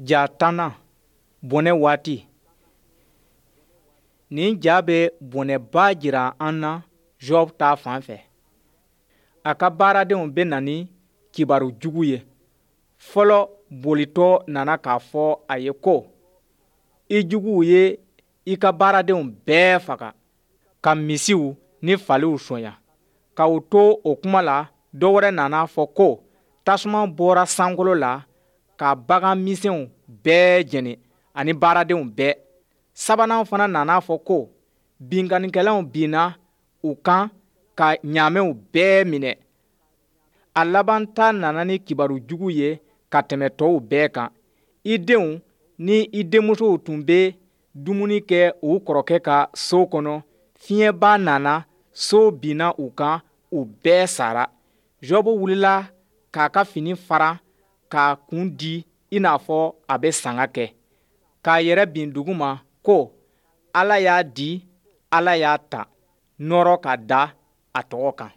Ja tannan, bɔnɛ waati. Nin ja bɛ bɔnɛba jira an na Job ta fan fɛ. A ka baaradenw bɛ na ni kibaru jugu ye. Fɔlɔ bolitɔ nana k'a fɔ a ye ko, i juguw ye i ka baaradenw bɛɛ faga, ka misiw ni faliw sonya. Ka u to o kuma la, dɔ wɛrɛ nana fɔ ko tasuma bɔra sankolo la ka bagan misɛnw bɛɛ jeni ani baaradenw bɛɛ. Sabanan fana nana fɔ ko binkannikɛlaw binna u kan ka ɲaamɛw bɛɛ minɛ. A laban ta nana ni kibaru jugu ye ka tɛmɛ tɔw bɛɛ kan. I denw ni i denmusow tun bɛ dumuni kɛ u kɔrɔkɛ ka so kɔnɔ, fiɲɛba nana, so binna u kan, u bɛɛ sara. Jɔbu wulila k'a ka fini fara k'a kun di i n'a fɔ a bɛ sanga kɛ, k'a yɛrɛ bin duguma ko, Ala y'a di, Ala y'a ta, nɔɔrɔ ka da a tɔgɔ kan.